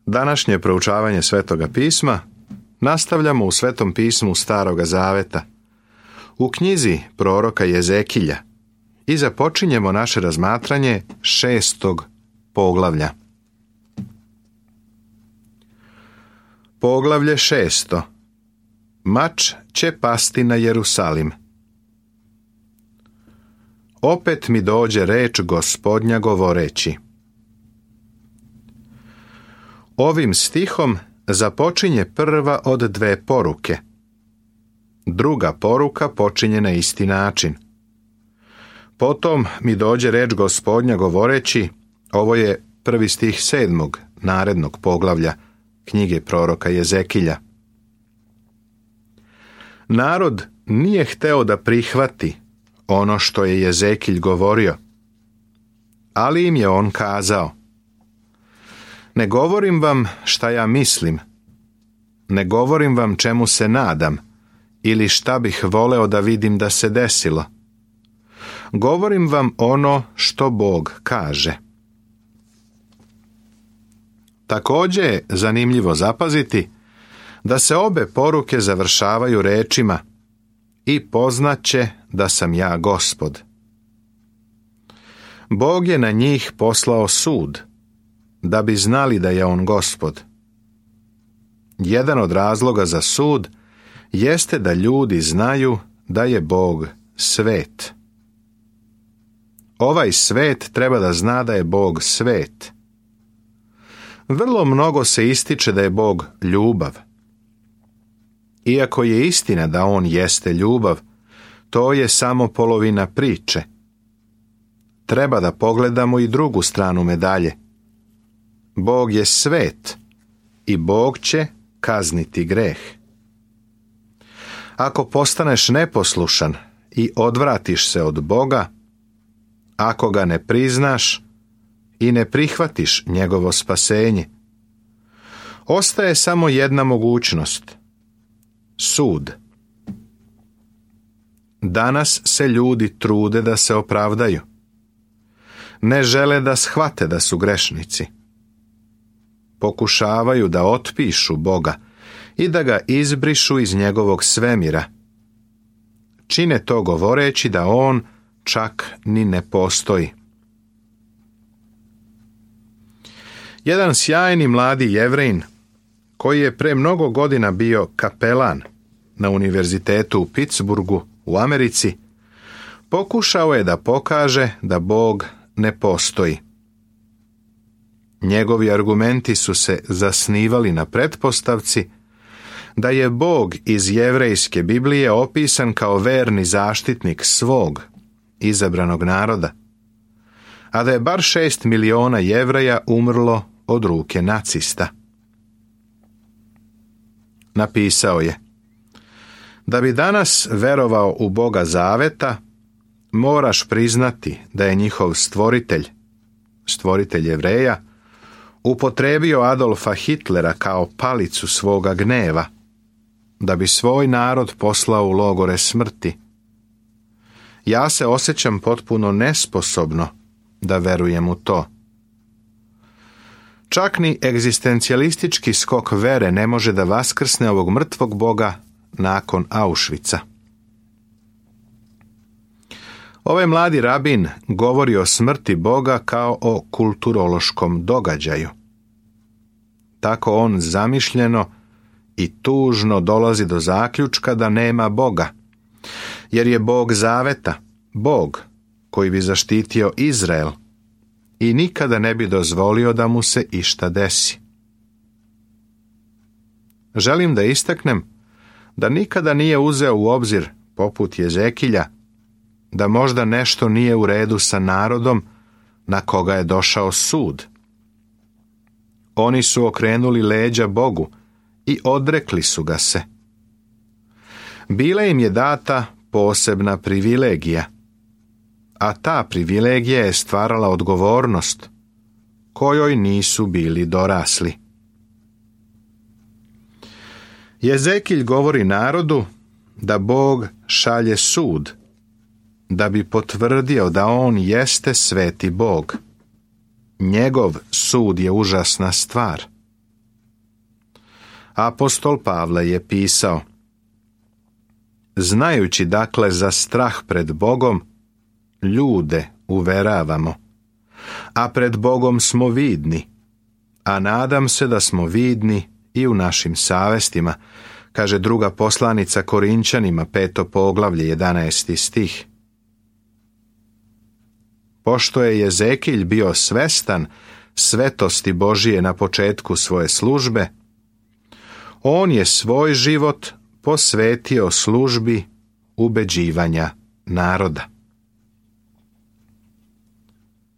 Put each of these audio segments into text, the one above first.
Današnje proučavanje Svetoga pisma nastavljamo u Svetom pismu Staroga Zaveta, u knjizi proroka Jezekilja, i započinjemo naše razmatranje 6. poglavlja. Poglavlje 6. Mač će pasti na Jerusalim. Opet mi dođe reč Gospodnja govoreći. Ovim stihom započinje prva od dve poruke. Druga poruka počinje na isti način. Potom mi dođe reč Gospodnja govoreći, ovo je prvi stih 7. narednog poglavlja knjige proroka Jezekilja. Narod nije hteo da prihvati ono što je Jezekilj govorio, ali im je on kazao: ne govorim vam šta ja mislim, ne govorim vam čemu se nadam ili šta bih voleo da vidim da se desilo. Govorim vam ono što Bog kaže. Također je zanimljivo zapaziti da se obe poruke završavaju rečima: i poznaće da sam ja Gospod. Bog je na njih poslao sud, da bi znali da je on Gospod. Jedan od razloga za sud jeste da ljudi znaju da je Bog svet. Ovaj svet treba da zna da je Bog svet. Vrlo mnogo se ističe da je Bog ljubav. Iako je istina da on jeste ljubav, to je samo polovina priče. Treba da pogledamo i drugu stranu medalje. Bog je svet i Bog će kazniti greh. Ako postaneš neposlušan i odvratiš se od Boga, ako ga ne priznaš i ne prihvatiš njegovo spasenje, ostaje samo jedna mogućnost: sud. Danas se ljudi trude da se opravdaju. Ne žele da shvate da su grešnici. Pokušavaju da otpišu Boga i da ga izbrišu iz njegovog svemira. Čine to govoreći da on čak ni ne postoji. Jedan sjajni mladi Jevrejin, koji je pre mnogo godina bio kapelan na univerzitetu u Pittsburghu u Americi, pokušao je da pokaže da Bog ne postoji. Njegovi argumenti su se zasnivali na pretpostavci da je Bog iz jevrejske Biblije opisan kao verni zaštitnik svog izabranog naroda, a da je bar 6 miliona Jevreja umrlo od ruke nacista. Napisao je: da bi danas verovao u Boga Zaveta, moraš priznati da je njihov stvoritelj Jevreja, upotrebio Adolfa Hitlera kao palicu svoga gneva, da bi svoj narod poslao u logore smrti. Ja se osjećam potpuno nesposobno da verujem u to. Čak ni egzistencijalistički skok vere ne može da vaskrsne ovog mrtvog Boga nakon Auschwitza. Ovaj mladi rabin govori o smrti Boga kao o kulturološkom događaju. Tako on zamišljeno i tužno dolazi do zaključka da nema Boga, jer je Bog Zaveta, Bog koji bi zaštitio Izrael i nikada ne bi dozvolio da mu se išta desi. Želim da istaknem da nikada nije uzeo u obzir, poput Jezekilja, da možda nešto nije u redu sa narodom na koga je došao sud. Oni su okrenuli leđa Bogu i odrekli su ga se. Bila im je data posebna privilegija, a ta privilegija je stvarala odgovornost kojoj nisu bili dorasli. Jezekilj govori narodu da Bog šalje sud, da bi potvrdio da on jeste sveti Bog. Njegov sud je užasna stvar. Apostol Pavle je pisao: znajući dakle za strah pred Bogom, ljude uveravamo, a pred Bogom smo vidni, a nadam se da smo vidni i u našim savestima, kaže druga poslanica Korinćanima, 5. poglavlje, 11. stih. Pošto je Jezekilj bio svestan svetosti Božije na početku svoje službe, on je svoj život posvetio službi ubeđivanja naroda.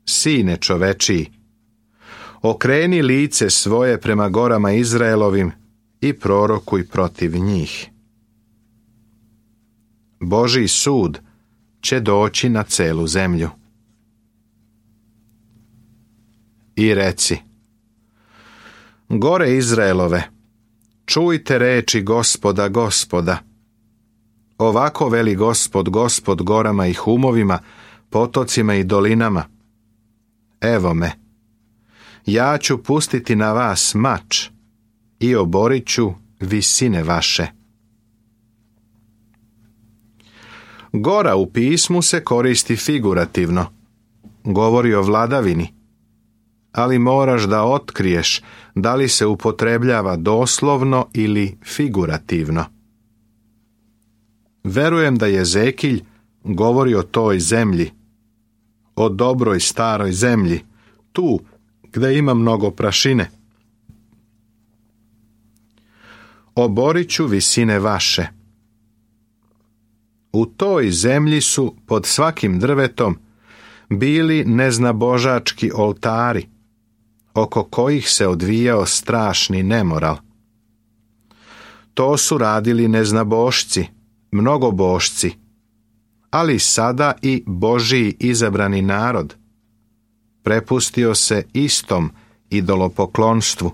Sine čovečiji, okreni lice svoje prema gorama Izraelovim i prorokuj protiv njih. Božji sud će doći na celu zemlju. I reci: gore Izraelove, čujte reči Gospoda, Gospoda. Ovako veli Gospod, Gospod gorama i humovima, potocima i dolinama. Evo me, ja ću pustiti na vas mač i oborit ću visine vaše. Gora u pismu se koristi figurativno, govori o vladavini, ali moraš da otkriješ da li se upotrebljava doslovno ili figurativno. Verujem da Jezekilj govori o toj zemlji, o dobroj staroj zemlji, tu gde ima mnogo prašine. Oborit ću visine vaše. U toj zemlji su pod svakim drvetom bili neznabožački oltari, oko kojih se odvijao strašni nemoral. To su radili neznabošci, mnogobošci, ali sada i Božji izabrani narod prepustio se istom idolopoklonstvu.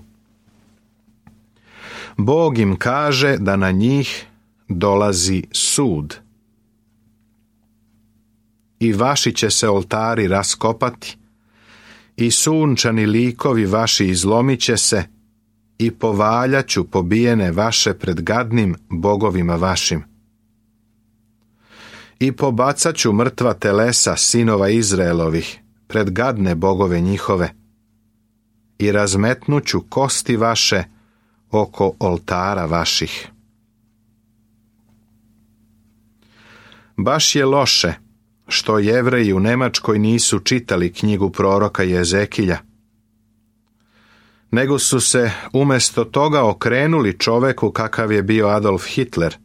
Bog im kaže da na njih dolazi sud. I vaši će se oltari raskopati, i sunčani likovi vaši izlomit će se, i povaljaću pobijene vaše pred gadnim bogovima vašim. I pobacat ću mrtva telesa sinova Izraelovih pred gadne bogove njihove, i razmetnuću kosti vaše oko oltara vaših. Baš je loše što Jevreji u Nemačkoj nisu čitali knjigu proroka Jezekilja, nego su se umjesto toga okrenuli čoveku kakav je bio Adolf Hitler,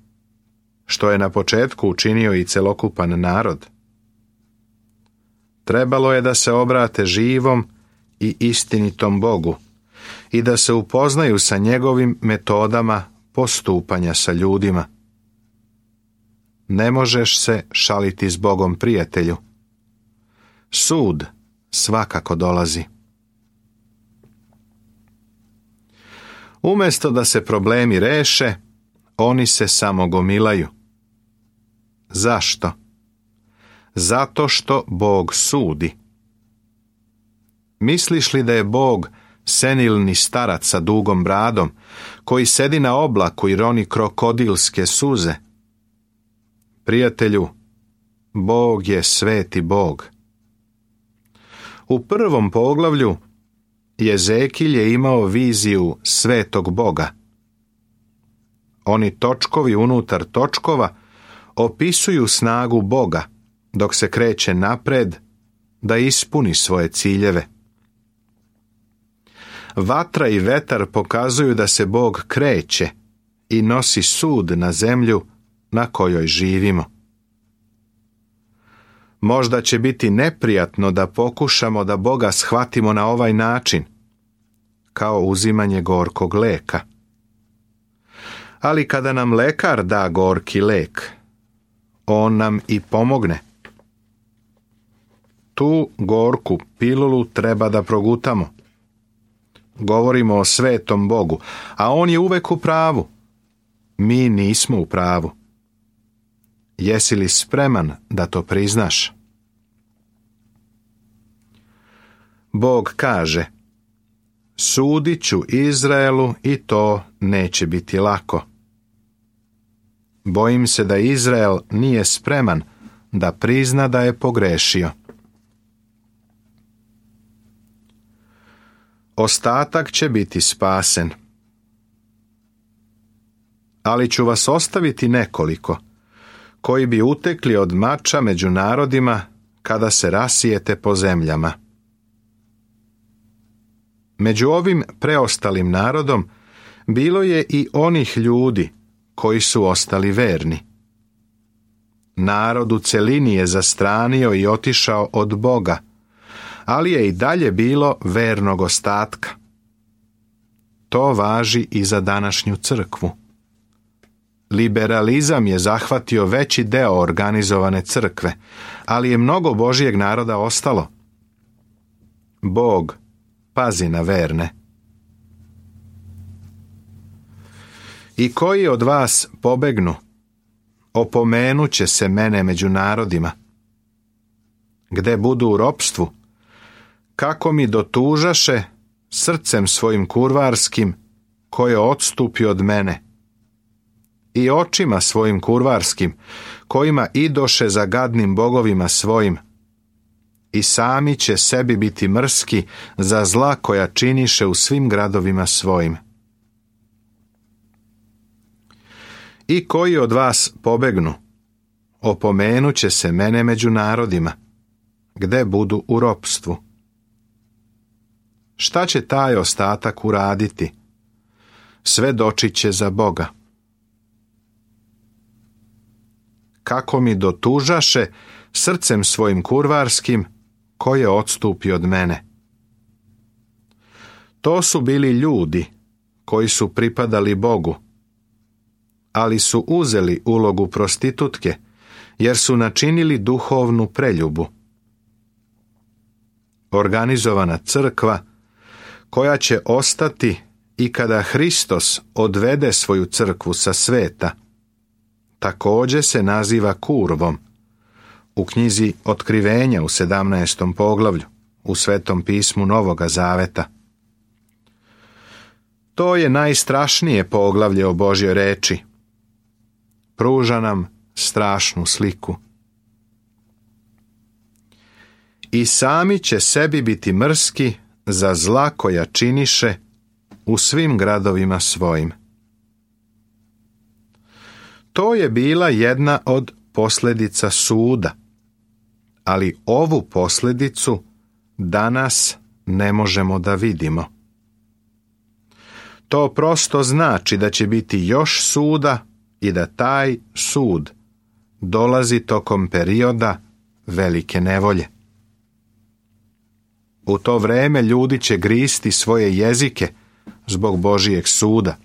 što je na početku učinio i celokupan narod. Trebalo je da se obrate živom i istinitom Bogu i da se upoznaju sa njegovim metodama postupanja sa ljudima. Ne možeš se šaliti s Bogom, prijatelju. Sud svakako dolazi. Umjesto da se problemi reše, oni se samo gomilaju. Zašto? Zato što Bog sudi. Misliš li da je Bog senilni starac sa dugom bradom, koji sedi na oblaku i roni krokodilske suze? Prijatelju, Bog je sveti Bog. U 1. poglavlju Jezekilj je imao viziju svetog Boga. Oni točkovi unutar točkova opisuju snagu Boga dok se kreće napred da ispuni svoje ciljeve. Vatra i vetar pokazuju da se Bog kreće i nosi sud na zemlju na kojoj živimo. Možda će biti neprijatno da pokušamo da Boga shvatimo na ovaj način, kao uzimanje gorkog leka. Ali kada nam lekar da gorki lek, on nam i pomogne. Tu gorku pilulu treba da progutamo. Govorimo o svetom Bogu, a on je uvek u pravu. Mi nismo u pravu. Jesi li spreman da to priznaš? Bog kaže: Sudit ću Izraelu i to neće biti lako. Bojim se da Izrael nije spreman da prizna da je pogrešio. Ostatak će biti spasen. Ali ću vas ostaviti nekoliko, koji bi utekli od mača među narodima kada se rasijete po zemljama. Među ovim preostalim narodom bilo je i onih ljudi koji su ostali verni. Narod u celini je zastranio i otišao od Boga, ali je i dalje bilo vernog ostatka. To važi i za današnju crkvu. Liberalizam je zahvatio veći deo organizovane crkve, ali je mnogo Božjeg naroda ostalo. Bog pazi na verne. I koji od vas pobegnu, opomenut će se mene među narodima. Gde budu u ropstvu, kako mi dotužaše srcem svojim kurvarskim, koje odstupi od mene, i očima svojim kurvarskim, kojima idoše za gadnim bogovima svojim, i sami će sebi biti mrski za zla koja činiše u svim gradovima svojim. I koji od vas pobegnu, opomenut će se mene među narodima, gde budu u ropstvu. Šta će taj ostatak uraditi? Svedočit će za Boga. Kako mi dotužaše srcem svojim kurvarskim, koje odstupi od mene. To su bili ljudi koji su pripadali Bogu, ali su uzeli ulogu prostitutke, jer su načinili duhovnu preljubu. Organizovana crkva, koja će ostati i kada Hristos odvede svoju crkvu sa sveta, također se naziva kurvom, u knjizi Otkrivenja u 17. poglavlju, u Svetom pismu Novoga Zaveta. To je najstrašnije poglavlje o Božjoj reči. Pruža nam strašnu sliku. I sami će sebi biti mrski za zla koja činiše u svim gradovima svojim. To je bila jedna od posljedica suda, ali ovu posljedicu danas ne možemo da vidimo. To prosto znači da će biti još suda i da taj sud dolazi tokom perioda velike nevolje. U to vreme ljudi će gristi svoje jezike zbog Božijeg suda.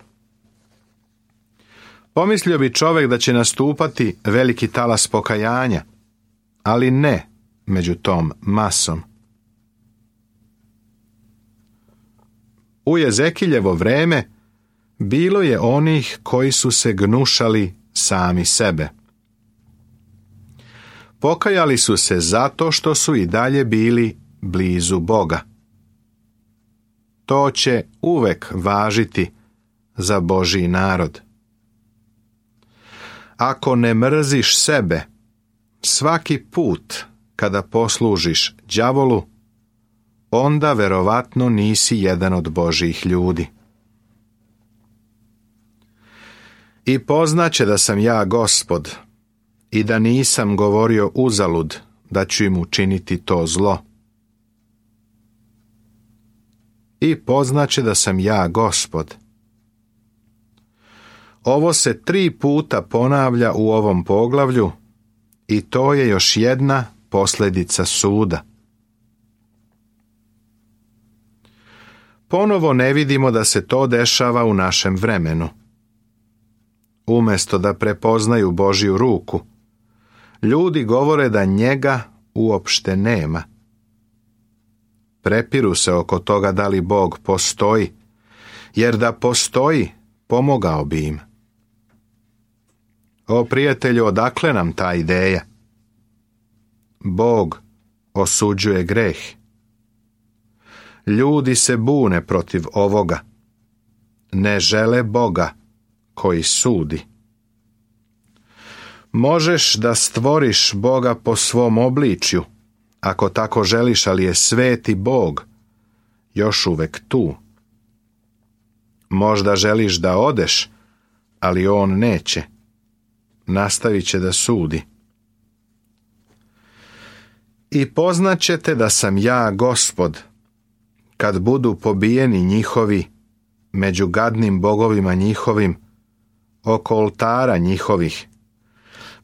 Pomislio bi čovjek da će nastupati veliki talas pokajanja, ali ne među tom masom. U Jezekiljevo vreme bilo je onih koji su se gnušali sami sebe. Pokajali su se zato što su i dalje bili blizu Boga. To će uvek važiti za Božji narod. Ako ne mrziš sebe, svaki put kada poslužiš đavolu, onda verovatno nisi jedan od Božjih ljudi. I poznaće da sam ja Gospod i da nisam govorio uzalud da ću im učiniti to zlo. I poznaće da sam ja Gospod. Ovo se 3 puta ponavlja u ovom poglavlju i to je još jedna posljedica suda. Ponovo ne vidimo da se to dešava u našem vremenu. Umjesto da prepoznaju Božju ruku, ljudi govore da njega uopšte nema. Prepiru se oko toga da li Bog postoji, jer da postoji, pomogao bi im. O prijatelju, odakle nam ta ideja? Bog osuđuje greh. Ljudi se bune protiv ovoga. Ne žele Boga koji sudi. Možeš da stvoriš Boga po svom obličju, ako tako želiš, ali je sveti Bog još uvek tu. Možda želiš da odeš, ali on neće. Nastavit će da sudi. I poznaćete da sam ja Gospod, kad budu pobijeni njihovi među gadnim bogovima njihovim, oko oltara njihovih,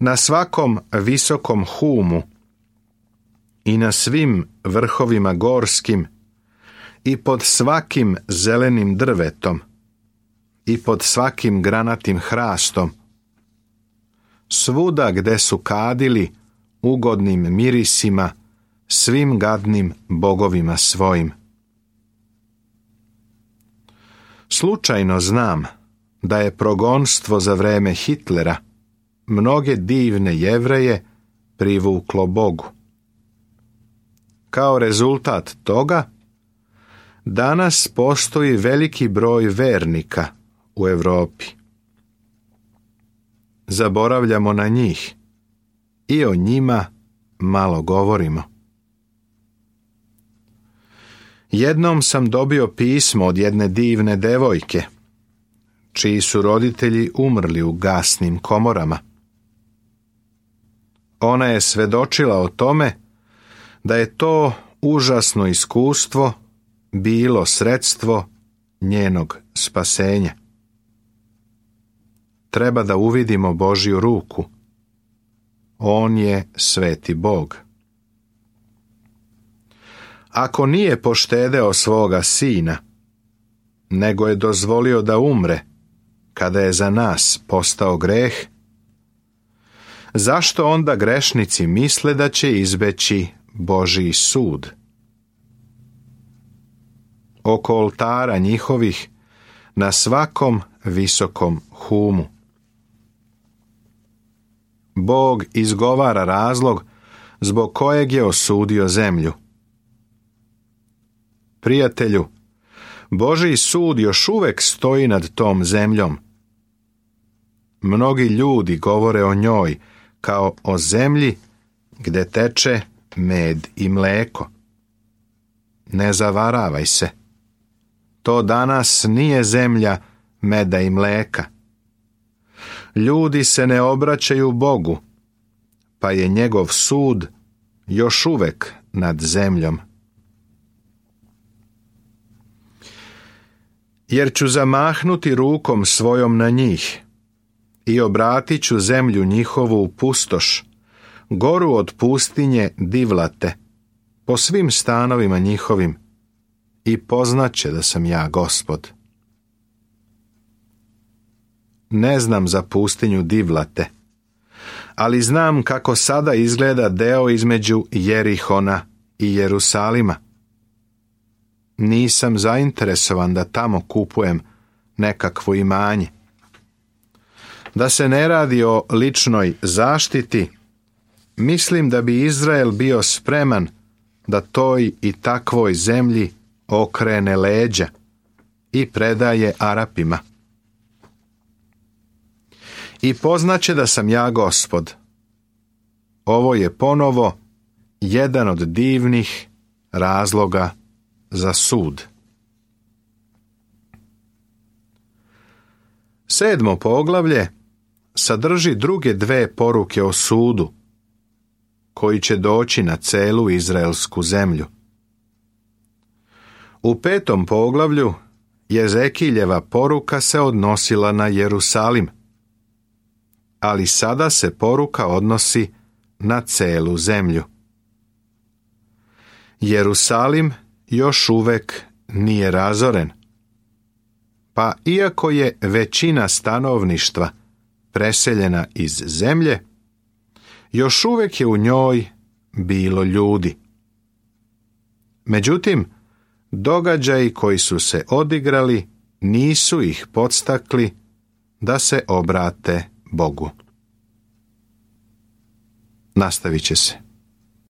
na svakom visokom humu i na svim vrhovima gorskim i pod svakim zelenim drvetom i pod svakim granatim hrastom, svuda gde su kadili ugodnim mirisima svim gadnim bogovima svojim. Slučajno znam da je progonstvo za vreme Hitlera mnoge divne Jevreje privuklo Bogu. Kao rezultat toga, danas postoji veliki broj vernika u Europi. Zaboravljamo na njih i o njima malo govorimo. Jednom sam dobio pismo od jedne divne devojke, čiji su roditelji umrli u gasnim komorama. Ona je svedočila o tome da je to užasno iskustvo bilo sredstvo njenog spasenja. Treba da uvidimo Božju ruku. On je sveti Bog. Ako nije poštedeo svoga sina, nego je dozvolio da umre kada je za nas postao greh, zašto onda grešnici misle da će izbeći Božji sud? Oko oltara njihovih, na svakom visokom humu. Bog izgovara razlog zbog kojeg je osudio zemlju. Prijatelju, Božji sud još uvek stoji nad tom zemljom. Mnogi ljudi govore o njoj kao o zemlji gde teče med i mleko. Ne zavaravaj se. To danas nije zemlja meda i mleka. Ljudi se ne obraćaju Bogu, pa je njegov sud još uvek nad zemljom. Jer ću zamahnuti rukom svojom na njih i obratit ću zemlju njihovu u pustoš, goru od pustinje divlate, po svim stanovima njihovim, i poznaće da sam ja Gospod. Ne znam za pustinju divlate, ali znam kako sada izgleda deo između Jerihona i Jerusalima. Nisam zainteresovan da tamo kupujem nekakvo imanje. Da se ne radi o ličnoj zaštiti, mislim da bi Izrael bio spreman da toj i takvoj zemlji okrene leđa i predaje Arapima. I poznaće da sam ja Gospod. Ovo je ponovo jedan od divnih razloga za sud. 7. poglavlje sadrži druge dve poruke o sudu, koji će doći na celu izraelsku zemlju. U 5. poglavlju Jezekiljeva poruka se odnosila na Jerusalim, ali sada se poruka odnosi na celu zemlju. Jerusalim još uvek nije razoren, pa iako je većina stanovništva preseljena iz zemlje, još uvek je u njoj bilo ljudi. Međutim, događaji koji su se odigrali nisu ih podstakli da se obrate Bogu. Nastavit će se.